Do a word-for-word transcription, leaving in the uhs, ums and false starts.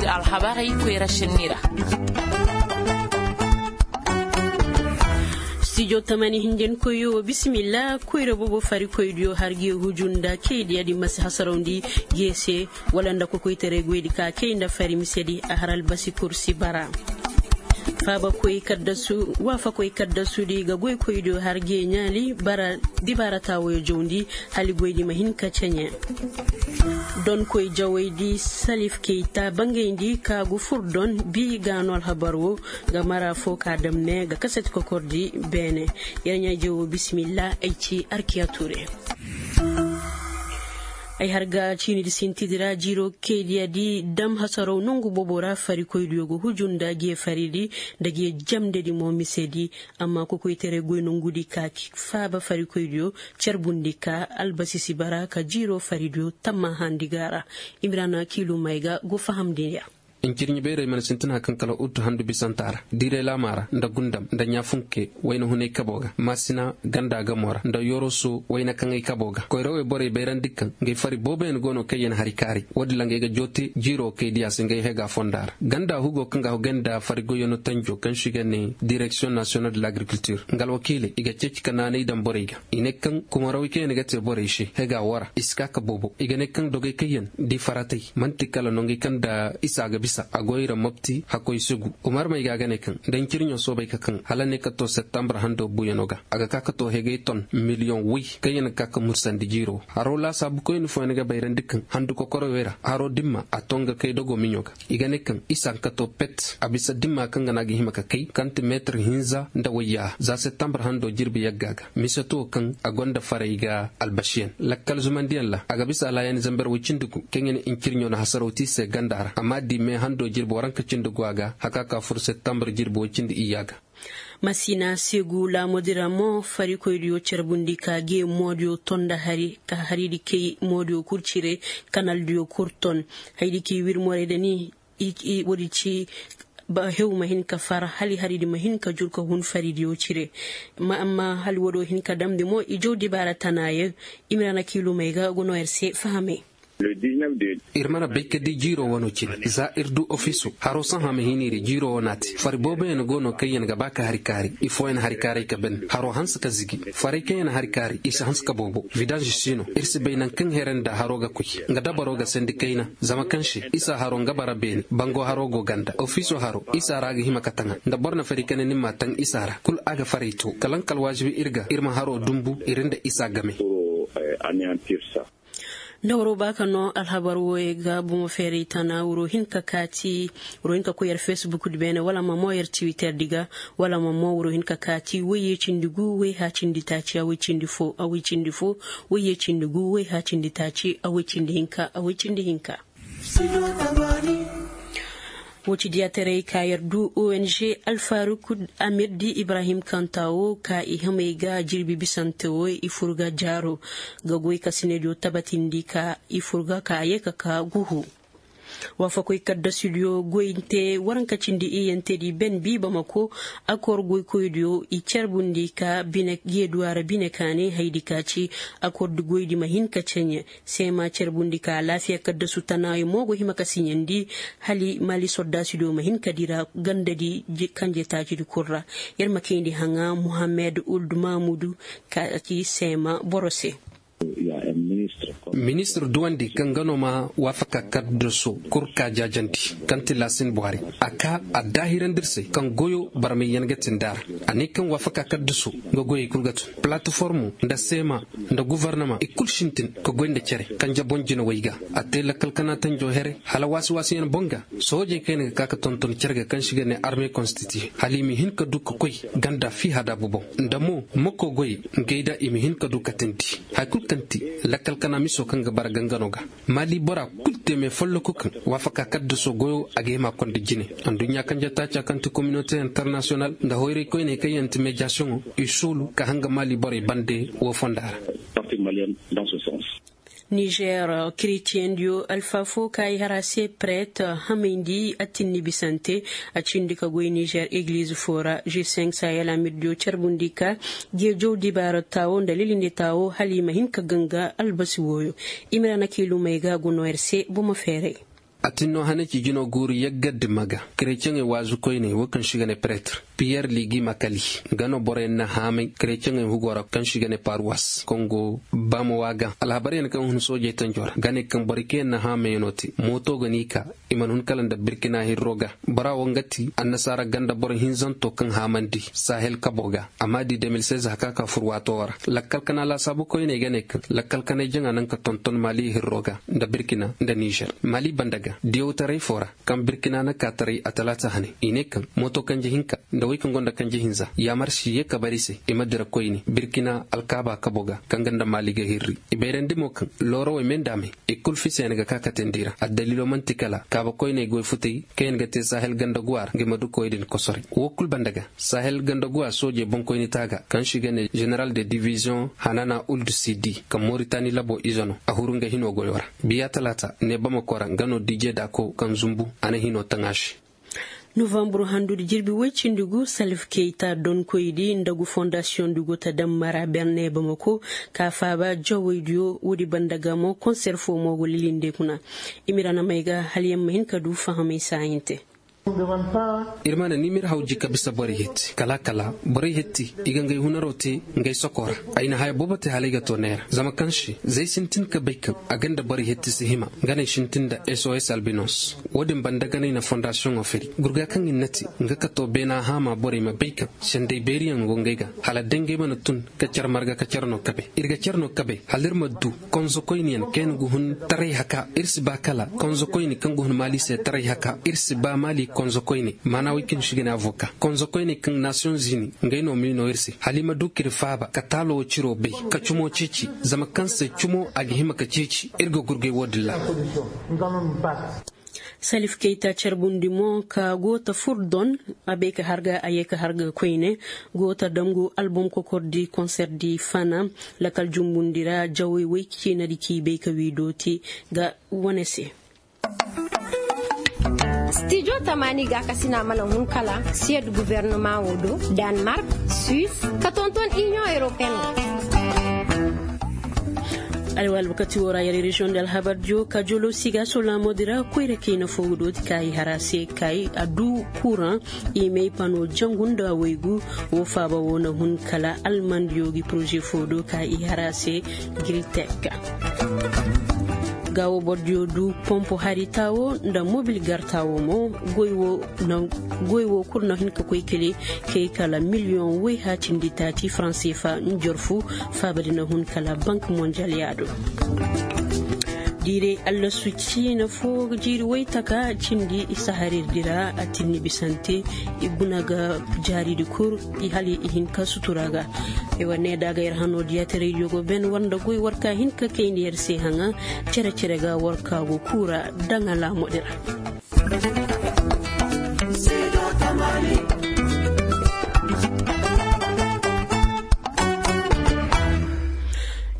Alhabarey koyra sinni ra. Stijo tamani hinjankoyo bisimilla. Koyra boobo farikoydiyo har ga ye huju nda kaydiya di masi hasarawndi ga ye se, wala nda kokoytaray goydi ka kay nda fari misedi a har albasi kursi bara. Faabakoy kaddasu waafakoy kaddasudi ga goykoydiyo har ga ye ɲaali bara dibaara taawoyo jawndi. Hali goydi ma hin ka ceɲe. Donkoy jawaydi salif keyta bangayndi ka gu fur don bi ga no alhabar wo ga mara fo ka dam ne ga kasati kokordi. Beene yer ɲaa jawo bisimilla ay ci arkiya ture. Ay har ga ciinidi sintidi ra jiiro kaydiya di dam hasaraw nongu boobo ra farikoydiyo ga huju nda ga ye faridi nda ga ye jamndedi mo misedi. Amma kokoytaray goy nongudi ka faaba farikoydiyo carbundi ka albasisi bara ka jiiro faridiyo tamma handi ga ra. Imrana kiilumay ga go fahamndi ya. Incirɲi bayray mana sintina kaŋ kala ut handu bisanta ra diiray laama ra nda gundam nda ɲaafunke wayna hunay kabo ga maasina ganda gamo ra nda yoroso wayna kaŋay kabo ga koyrawey borey bayrandi kaŋ ngay fari booboyaŋ go no kaŋ yaŋ hari kaari. Woodin ra ngay ga joote jiiro kay diya se ngay hega fonda ra ganda hugo kaŋ ga hogay nda fari goyyaŋo tanjo kaŋ se i ga ne direksiyoŋ nasiyonal de lagrikultir nga alwakiiley i ga ceeci ka naanay daŋ borey ga. I ne kaŋ kumarawey kaŋ yaŋ ga te borey se hega wara i si ka ka boobo i ga ne kaŋ dogey kaŋ yaŋ di faratey man'ti kala nongey kaŋ nda isa ga bisa a go i ra mopti hakkoy sugu. Umar may ga ga ne kaŋ nda ncirɲo soobay ka kaŋ hala ne ka to septembre hando buuyaŋo ga a ga ka ka to hegay ton miliyoŋ way kaŋ yaŋ ga ka ka mursandi jiiro haro laasaabu koyne fooyaŋ ga bayrandi kaŋ handu kokoroy way ra haro dimma a to nga kay dogo miɲo ga. I ga ne kaŋ isa ga ka to pet a bisa dimma kaŋ ga na ga hima ka kay kaŋ ti meetir hinza nda wayya za septembre hando jirbi yagga ga mise to kaŋ a gonda faray ga albasiyaŋ lakkal zumandiyaŋ ra a ga bisa alhayaani zamber way cindi gu kaŋ yaŋ incirɲo na hasaraw te i se ganda ra amma di me hando jirbi waranka cindi gu a ga haka ka fur septembre jirbi way cindi iyya ga. Masina segu laamudi ra mo farikoydiyo carbundi ka ge moodiyo ton nda hari ka haridi kay moodiyo kul cire kanaldiyo kul ton. Haydi k'i wir morey da ni woodi ci ba hew ma hin ka far hali haridi ma hin ka jur ka hun faridiyo cire. Amma hali woodiyo hin ka damndi mo i jaw dibaara tana yaŋ. I ma ra na kiilumey ga go no yer se fahamey. Ir mana bay ka di jiiro wano cine za ir du ofiso haro sahã ma hin ir jiiro wana te fari booboyaŋ go no kaŋ yaŋ ga ba ka hari kaari ifooyaŋ hari kaaray ka ban haro hanse ka zigi. Farey kaŋ yaŋ hari kaari i si hanse ka boobo vidanž si no ir si bay naŋ kaŋ here nda haro ga koy nga dabaro ga sandi kayna. Zama kaŋ se isa haro nga bara beene bango haro go ganda ofiso haro isa ra ga hima ka taŋa nda boro na fari kane ni ma taŋ isa ra kul a ga faray to kalaŋ kala waajibi ir ga ir ma haro dumbu ir nda isa game. Nda waro ba ka no alhabar wooyey ga bomo feeray tana wuro hin ka kaati wuro hin ka koy yer fesbuk di beene wala ma mo yer tiwiter di ga wala ma mo wuro hin ka kaati woyye cindi gu woy ha cindi taaci a woy cindi fo a woy cindi fo woyye cindi gu woy ha cindi taaci a woy cindi hinka a woy cindi hinka. Wo ci diyaataray ka yer du ong alfaruk amir di ibrahim kanta wo ka i hamey ga jirbi bisante wo i fur ga jaaro ga goy ka sinediyo tabatindi ka i fur ga ka a ye ka ka guhu. Waafakoy kaddasudiyo goyante waranka cindi iyantedi ben bi bamako akor goykoydiyo i carbundi ka bine geeduwa ra bine kaane haydi ka ci akor di goydi ma hin ka ceɲe. Seema carbundi ka alaafiya kaddasu tanaayo mo go hima ka siɲandi hali maali sordaasidiyo ma hin ka dira gandadi kanjetaacidi kul ra. Yer ma kayndi haŋa muhammed uld mamudu ka ci seema boro se. Ministir duwandi kaŋ ga no ma waafaka kaddaso kul ka jaajandi kaŋ ti laasin buhari a ka a daahirandi ir se kaŋ goyo barmayyaŋ ga tinda ra. A ne kaŋ waafaka kaddaso nga goyey kul ga tun palataformo nda seema nda guvarnama i kul sintin ka goy nda cere kanje boŋ jinawey ga. A te lakkal kana tanjo here hala waasi-waasiyaŋ boŋ ga soojey kaŋ yaŋ ga ka ka tonton cere ga kaŋ se i ga ne arme konstitiye hala i ma hin ka du ka koy ganda fii hadaabu boŋ nda mo mako goyey ngey da i ma hin ka du ka tindi haya kul kaŋ ti lakkal kana miso kaŋ ga bara gangano ga. Maali bora kul te me folloku kaŋ waafaka kaddaso goyo a ga hima konda jine. Anduɲɲa kanje taaca kaŋ ti kominote internasiyonal nda hoyray koyney kaŋ yaŋ ti mediyasiyoŋo i soolu ka hanga maali borey bande wo fonda ra. Nizer kiritiyeŋ diyo alfa fo ka i har a se pret hamayndi a tinni bisante a cindi ka goy nizer egiliz fo ra g cinq sahel amir diyo carbundi ka geejow dibaara taawo nda lilindi taawo hala i ma hin ka ganga albasi wooyo. I ma ra na kiilumey ga go no yer se bomo feeray. A tin no hane ci jino guuru yaggar di maga. Kereceŋey waazu koyney wo kaŋ se i ga ne pretre, piyer ligi makali, nga no boroyaŋ na haamay kereceŋey hugo ra kaŋ se i ga ne paruwas kaŋ go baama waaga. Alhabaryaŋ kaŋ hun soojey tanjo ra ga ne kaŋ borey kaŋ yaŋ na haamayaŋo te mooto ga n'i ka. I mana hun kala nda birkina hirro ga. Bora wo nga ti annasaara ganda boro hinzanto kaŋ haamandi sahel kabo ga. Amma di de mil seize haka ka fur waato wo ra. Lakkal kana laasaabu koyney ga ne kaŋ lakkal kanay jaŋa naŋ ka tonton mali hirro ga nda birkina nda nizer mali banda ga diyawtaray fo ra. Kaŋ birkina na ka taray a talaata hane i ne kaŋ mooto kanje hinka nda wey kaŋ gonda kanje hinza yaamar si ye ka bari se i ma dira koyne birkina alkaaba kabo ga kaŋ ga nda mali ga hirri. I bayrandi mo kaŋ loorawey me nda a me i kul fiseyaŋ ga ka katandi ra addaliilo man'ti kala kaaba koyney goy futay kaŋ yaŋ ga te sahel ganda guwa ra nga i ma du koy din kosoray wo kul banda ga sahel ganda guwa soojey boŋkoyni taaga kaŋ se i ga ne general de division hanana uld sidi kaŋ moritani labo ize no a huru nga hino goyo ra. Biya talaata ne bamako ra nga no dije daako kaŋ zumbu a na hino taŋ a se. Novambur handudi jirbi woy cindi gu salif keyta donkoydi nda gu fondasiyoŋ di go ta daŋ mara berne bamako ka faaba jawaydiyo woodi banda ga mo konser fo mo go lilinde kuna. Imira na may ga hala yaŋ ma hin ka du fahamay saahinte. Ir mana ni m'ir haw ji ka bisa borey hetti kala kala borey hetti i ga ngay hunaro te. Ngay soko ra ay na haya boobo te hala ay ga to neera zama kaŋ se zay sintin ka bay kaŋ a ga nda borey hetti si hima. Nga no ay sintin nda sos albinos. Wo-din banda ga no ay na fondasiyoŋo firi gurga kaŋ ir na te nga ka to beena haama borey ma bay kaŋ sendey beeriyaŋ go ngay ga hala day ngay mana tun ka car marga ka car no kabe. Ir ga car no kabe hala ir ma du konzokoyniyaŋ kaŋ yaŋ ga hun taray haka ir si ba kala konzokoyni kaŋ ga hun maali se taray haka ir si ba maali konzokoyni maana woy kaŋ si ga ne avoka konzokoyni kaŋ nasiyoŋ zini. Ngey no m'i no ir se hala i ma du k'ir faaba ka taalo wo ciro bay ka cumo ceeci zama kaŋ se cumo a ga hima ka ceeci ir ga gurgay wo-din ra. Salif keyta carbundi mo ka go ta fur don a bay ka harga a yee ka harga koyne go ta damgu albom kokordi konserdi fana lakal jumbundi ra jawey woy ciinadi k'i bay ka wiido te ga wane se. Stijo tamaani gaakasina mana hun kala siyed guwernama wo do, danmark, suis, ka tonton inion europeen. Alwal wakati wo ra yar reziyoŋ da alhabar diyo ka jolo siga solaamo dira koyra kayna fo ga dooti ka i hara se ka i a du kuran. I may pano jangu nda waygu wo faaba wo na hun kala almandiyo gi poroze fo do ka i hara se. Gritek ga wo bordiyo du pompo hari taawo nda mobil gar taawo mo. Goy wo kulu na hin ka koy kele kay kala miliyoŋ woy haacindi taaci faranse fa njorfu. Faabadi na hun kala bank mondial yaado. Diiray allasu ciina fo jiiri woy taka cindi i saharir dira a tinni bisante. I guna ga jaaridi kul i hali i hin ka sutura ga. Ay war ne da ga yar hano diya te rediyo go ben war nda goy war ka hin ka kayndi yar se haŋa. Cere cere ga war ka go kuura daŋ alaamo dira.